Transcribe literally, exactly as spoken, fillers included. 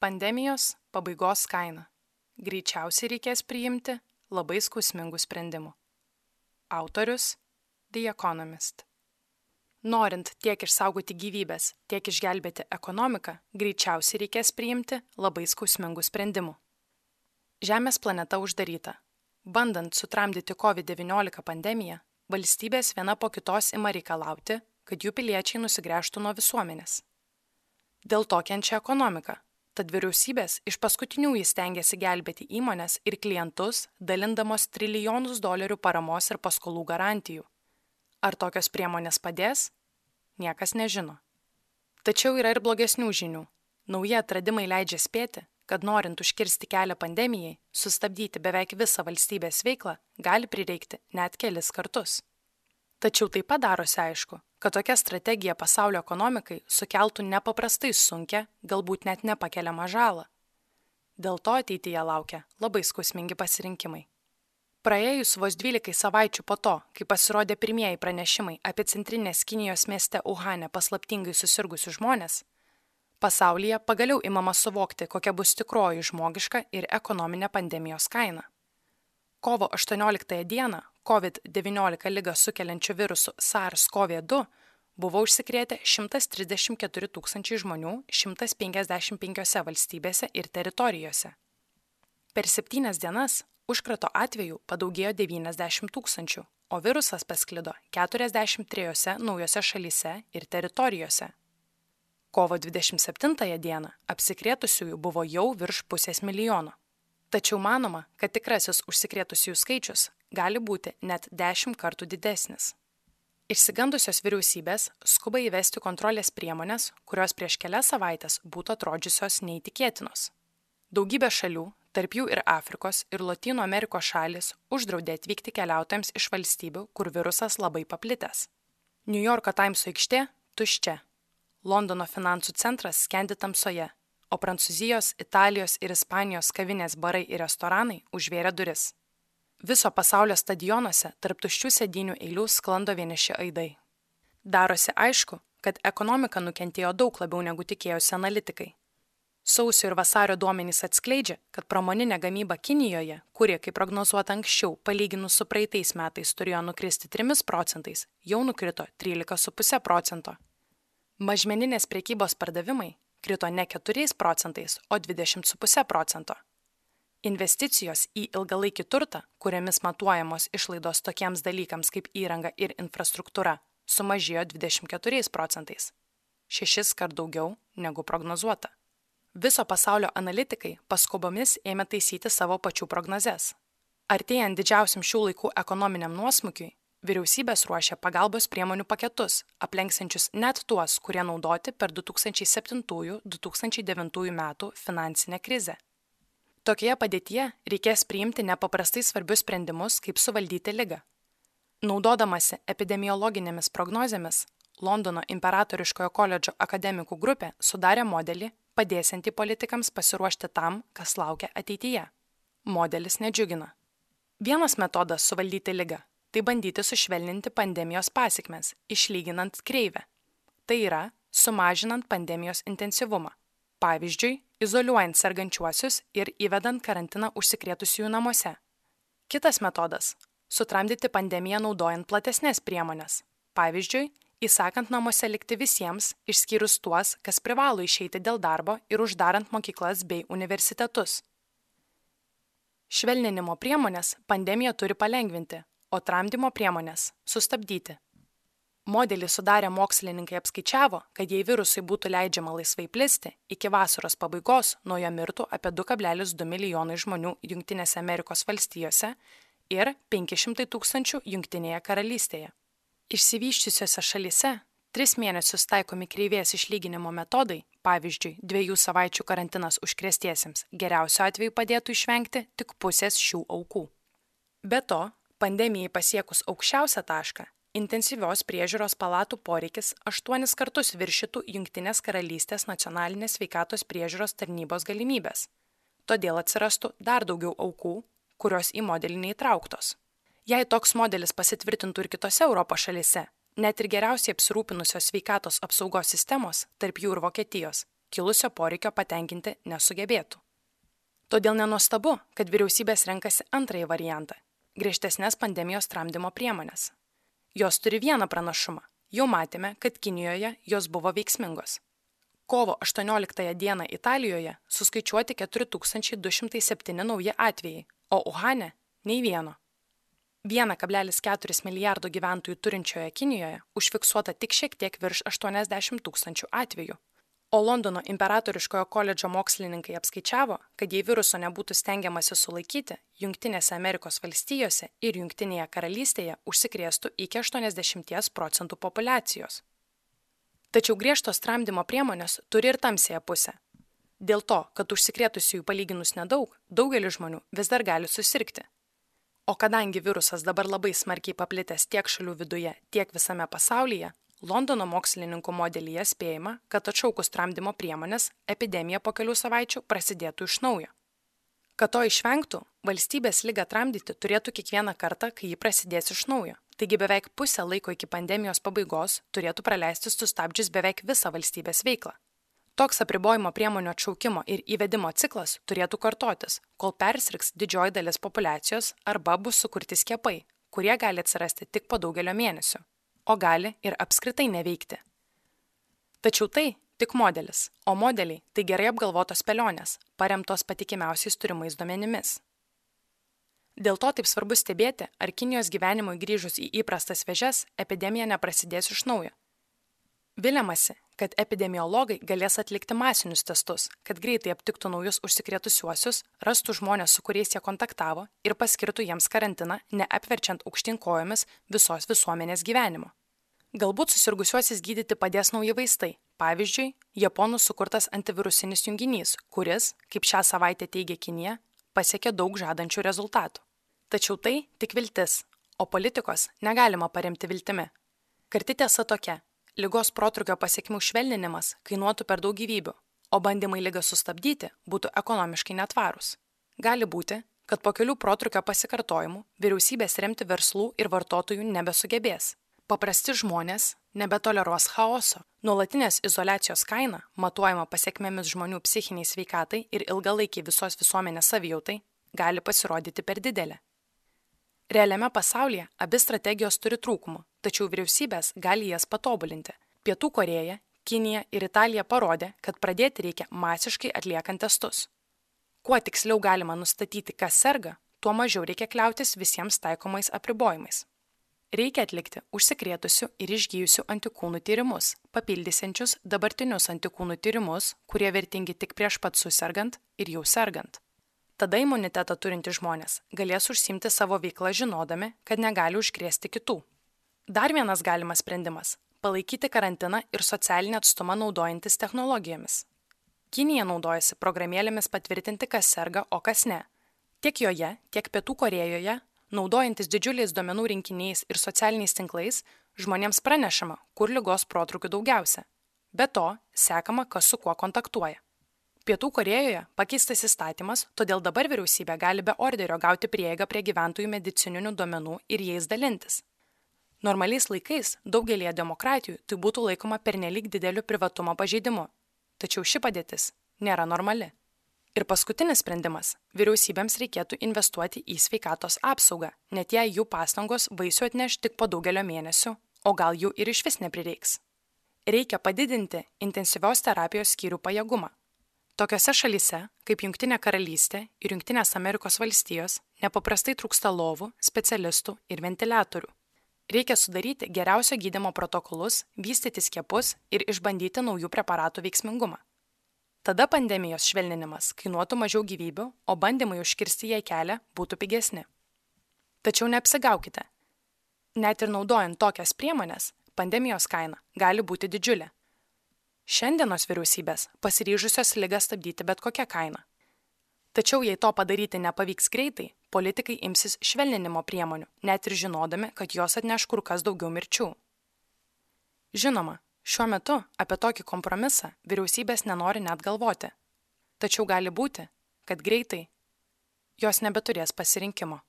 Pandemijos pabaigos kaina. Greičiausiai reikės priimti labai skausmingų sprendimų. Autorius The Economist. Norint tiek išsaugoti gyvybės, tiek išgelbėti ekonomiką, greičiausiai reikės priimti labai skausmingų sprendimų. Žemės planeta uždaryta. Bandant sutramdyti covid devyniolika pandemiją, valstybės viena po kitos ima reikalauti, kad jų piliečiai nusigręžtų nuo visuomenės. Dėl to kenčia ekonomika, tad vyriausybės iš paskutiniųjų stengiasi gelbėti įmones ir klientus, dalindamos trilijonus dolerių paramos ir paskolų garantijų. Ar tokios priemonės padės? Niekas nežino. Tačiau yra ir blogesnių žinių. Nauji atradimai leidžia spėti, kad norint užkirsti kelią pandemijai, sustabdyti beveik visą valstybės veiklą gali prireikti net kelis kartus. Tačiau taip pat darosi aišku, kad tokia strategija pasaulio ekonomikai sukeltų nepaprastai sunkią, galbūt net nepakeliamą žalą. Dėl to ateityje laukia labai skausmingi pasirinkimai. Praėjus vos dvylikai savaičių po to, kai pasirodė pirmieji pranešimai apie centrinės Kinijos mieste Uhane paslaptingai susirgusius žmonės, pasaulyje pagaliau imama suvokti, kokia bus tikroji žmogiška ir ekonominė pandemijos kaina. Kovo aštuonioliktąją dieną covid devyniolika ligą sukeliančiu virusu SARS CoV du buvo užsikrėtę šimtas trisdešimt keturi tūkstančiai žmonių šimtas penkiasdešimt penkiose valstybėse ir teritorijose. Per septynias dienas užkrato atvejų padaugėjo devyniasdešimt tūkstančių, o virusas pasklido keturiasdešimt trijose naujose šalyse ir teritorijose. Kovo dvidešimt septintąją dieną apsikrėtusiųjų buvo jau virš pusės milijono. Tačiau manoma, kad tikrasis užsikrėtusiųjų skaičius gali būti net dešimt kartų didesnis. Išsigandusios vyriausybės skuba įvesti kontrolės priemonės, kurios prieš kelias savaitės būtų atrodžiusios neįtikėtinos. Daugybė šalių, tarp jų ir Afrikos ir Lotynų Amerikos šalys, uždraudė atvykti keliautojams iš valstybių, kur virusas labai paplitęs. Niujorko Taimso aikštė tuščia. Londono finansų centras skendi tamsoje, o Prancūzijos, Italijos ir Ispanijos kavinės barai ir restoranai užvėrė duris. Viso pasaulio stadionuose tarp tuščių sėdynių eilių sklando vieniši aidai. Darosi aišku, kad ekonomika nukentėjo daug labiau negu tikėjosi analitikai. Sausio ir vasario duomenys atskleidžia, kad pramoninė gamyba Kinijoje, kuri, kaip prognozuota anksčiau, palyginus su praeitais metais turėjo nukristi trimis procentais, jau nukrito trylika su puse procento. Mažmeninės prekybos pardavimai krito ne keturiais procentais, o dvidešimt su puse procento. Investicijos į ilgalaikį turtą, kuriamis matuojamos išlaidos tokiems dalykams kaip įranga ir infrastruktūra, sumažėjo dvidešimt keturiais procentais. Šešis kart daugiau negu prognozuota. Viso pasaulio analitikai paskubomis ėmė taisyti savo pačių prognozes. Artėjant didžiausiam šių laikų ekonominiam nuosmukiui, vyriausybės ruošia pagalbos priemonių paketus, aplenksiančius net tuos, kurie naudoti per du tūkstančiai septintųjų - du tūkstančiai devintųjų metų finansinę krizę. Tokioje padėtyje reikės priimti nepaprastai svarbius sprendimus, kaip suvaldyti ligą. Naudodamasi epidemiologinėmis prognozėmis, Londono imperatoriškojo koledžo akademikų grupė sudarė modelį, padėsiantį politikams pasiruošti tam, kas laukia ateityje. Modelis nedžiugina. Vienas metodas suvaldyti ligą – tai bandyti sušvelninti pandemijos pasekmes, išlyginant kreivę. Tai yra, sumažinant pandemijos intensyvumą. Pavyzdžiui, izoliuojant sergančiuosius ir įvedant karantiną užsikrėtusiųjų namuose. Kitas metodas – sutramdyti pandemiją naudojant platesnės priemonės. Pavyzdžiui, įsakant namuose likti visiems, išskyrus tuos, kas privalo išeiti dėl darbo ir uždarant mokyklas bei universitetus. Švelninimo priemonės pandemiją turi palengvinti, o tramdymo priemonės sustabdyti. Modelį sudarę mokslininkai apskaičiavo, kad jei virusui būtų leidžiama laisvai plisti, iki vasaros pabaigos nuo jo mirtų apie du kablelis du milijonai žmonių Jungtinėse Amerikos valstijose ir penki šimtai tūkstančių Jungtinėje karalystėje. Išsivysčiusiose šalyse tris mėnesius taikomi kreivės išlyginimo metodai, pavyzdžiui, dviejų savaičių karantinas užkrėstiesiems, geriausiu atveju padėtų išvengti tik pusės šių aukų. Be to, pandemijai pasiekus aukščiausią tašką, intensyvios priežiūros palatų poreikis aštuonis kartus viršytų Jungtinės karalystės nacionalinės sveikatos priežiūros tarnybos galimybės. Todėl atsirastų dar daugiau aukų, kurios į modelį neįtrauktos. Jei toks modelis pasitvirtintų ir kitose Europos šalyse, net ir geriausiai apsirūpinusios sveikatos apsaugos sistemos, tarp jų ir Vokietijos, kilusio poreikio patenkinti nesugebėtų. Todėl nenuostabu, kad vyriausybės renkasi antrąjį variantą – griežtesnės pandemijos tramdymo priemonės. Jos turi vieną pranašumą. Jau matėme, kad Kinijoje jos buvo veiksmingos. Kovo aštuonioliktąją dieną Italijoje suskaičiuoti keturi tūkstančiai du šimtai septyni nauji atvejai, o Uhane – nei vieno. vienas kablelis keturi milijardo gyventojų turinčioje Kinijoje užfiksuota tik šiek tiek virš aštuoniasdešimt tūkstančių atvejų, o Londono imperatoriškojo koledžo mokslininkai apskaičiavo, kad jei viruso nebūtų stengiamasi sulaikyti, Jungtinėse Amerikos valstijose ir Jungtinėje karalystėje užsikrėstų iki aštuoniasdešimt procentų populiacijos. Tačiau griežtos tramdymo priemonės turi ir tamsiąją pusę. Dėl to, kad užsikrėtusiųjų palyginus nedaug, daugelis žmonių vis dar gali susirgti. O kadangi virusas dabar labai smarkiai paplitęs tiek šalių viduje, tiek visame pasaulyje, Londono mokslininkų modelyje spėjama, kad atšaukus tramdymo priemonės, epidemija po kelių savaičių prasidėtų iš naujo. Kad to išvengtų, valstybės ligą tramdyti turėtų kiekvieną kartą, kai ji prasidės iš naujo. Taigi beveik pusę laiko iki pandemijos pabaigos turėtų praleisti sustabdžius beveik visą valstybės veiklą. Toks apribojimo priemonių atšaukimo ir įvedimo ciklas turėtų kartotis, kol persirgs didžioji dalis populiacijos arba bus sukurti skiepai, kurie gali atsirasti tik po daugelio mėnesių, o gali ir apskritai neveikti. Tačiau tai tik modelis, o modeliai tai gerai apgalvotos spėlionės, paremtos patikimiausiais turimais duomenimis. Dėl to taip svarbu stebėti, ar Kinijos gyvenimui grįžus į įprastas vėžes, epidemija neprasidės iš naujo. Viliamasi, kad epidemiologai galės atlikti masinius testus, kad greitai aptiktų naujus užsikrėtusiuosius, rastų žmonės, su kuriais jie kontaktavo ir paskirtų jiems karantiną, neapverčiant aukštyn kojomis visos visuomenės gyvenimo. Galbūt susirgusiuosius gydyti padės nauji vaistai, pavyzdžiui, japonų sukurtas antivirusinis junginys, kuris, kaip šią savaitę teigia Kinija, pasiekė daug žadančių rezultatų. Tačiau tai tik viltis, o politikos negalima paremti viltimi. Karti tiesa tokia. Ligos protrūkio pasekmių švelninimas kainuotų per daug gyvybių, o bandymai ligą sustabdyti būtų ekonomiškai netvarūs. Gali būti, kad po kelių protrūkio pasikartojimų vyriausybės remti verslų ir vartotojų nebesugebės. Paprasti žmonės nebetoleruos chaoso. Nuolatinės izoliacijos kaina, matuojama pasekmėmis žmonių psichiniai sveikatai ir ilgalaikiai visos visuomenės savijautai, gali pasirodyti per didelė. Realiame pasaulyje abi strategijos turi trūkumų, tačiau vyriausybės gali jas patobulinti. Pietų Korėja, Kinija ir Italija parodė, kad pradėti reikia masiškai atliekant testus. Kuo tiksliau galima nustatyti, kas serga, tuo mažiau reikia kliautis visiems taikomais apribojimais. Reikia atlikti užsikrėtusių ir išgyjusių antikūnų tyrimus, papildysiančius dabartinius antikūnų tyrimus, kurie vertingi tik prieš pat susirgant ir jau sergant. Tada imunitetą turintys žmonės galės užsiimti savo veiklą žinodami, kad negali užkrėsti kitų. Dar vienas galimas sprendimas – palaikyti karantiną ir socialinį atstumą naudojantis technologijomis. Kinija naudojasi programėlėmis patvirtinti, kas serga, o kas ne. Tiek joje, tiek Pietų Korėjoje, naudojantis didžiuliais duomenų rinkiniais ir socialiniais tinklais, žmonėms pranešama, kur ligos protrūkių daugiausia. Be to, sekama, kas su kuo kontaktuoja. Pietų Korėjoje pakeistas įstatymas, todėl dabar vyriausybė gali be orderio gauti prieigą prie gyventojų medicininių duomenų ir jais dalintis. Normaliais laikais daugelėje demokratijų tai būtų laikoma pernelyg dideliu privatumo pažeidimu, tačiau ši padėtis nėra normali. Ir paskutinis sprendimas – vyriausybėms reikėtų investuoti į sveikatos apsaugą, net jei jų pastangos vaisių atneš tik po daugelio mėnesių, o gal jų ir išvis neprireiks. Reikia padidinti intensyvios terapijos skyrių pajėgumą. Tokiose šalyse, kaip Jungtinė karalystė ir Jungtinės Amerikos valstijos, nepaprastai trūksta lovų, specialistų ir ventiliatorių. Reikia sudaryti geriausio gydymo protokolus, vystyti skiepus ir išbandyti naujų preparatų veiksmingumą. Tada pandemijos švelninimas kainuotų mažiau gyvybių, o bandymai užkirsti jai kelią būtų pigesni. Tačiau neapsigaukite. Net ir naudojant tokias priemonės, pandemijos kaina gali būti didžiulė. Šiandienos vyriausybės pasiryžusios ligą stabdyti bet kokią kainą. Tačiau jei to padaryti nepavyks greitai, politikai imsis švelninimo priemonių, net ir žinodami, kad jos atneš kur kas daugiau mirčių. Žinoma, šiuo metu apie tokį kompromisą vyriausybės nenori net galvoti. Tačiau gali būti, kad greitai jos nebeturės pasirinkimo.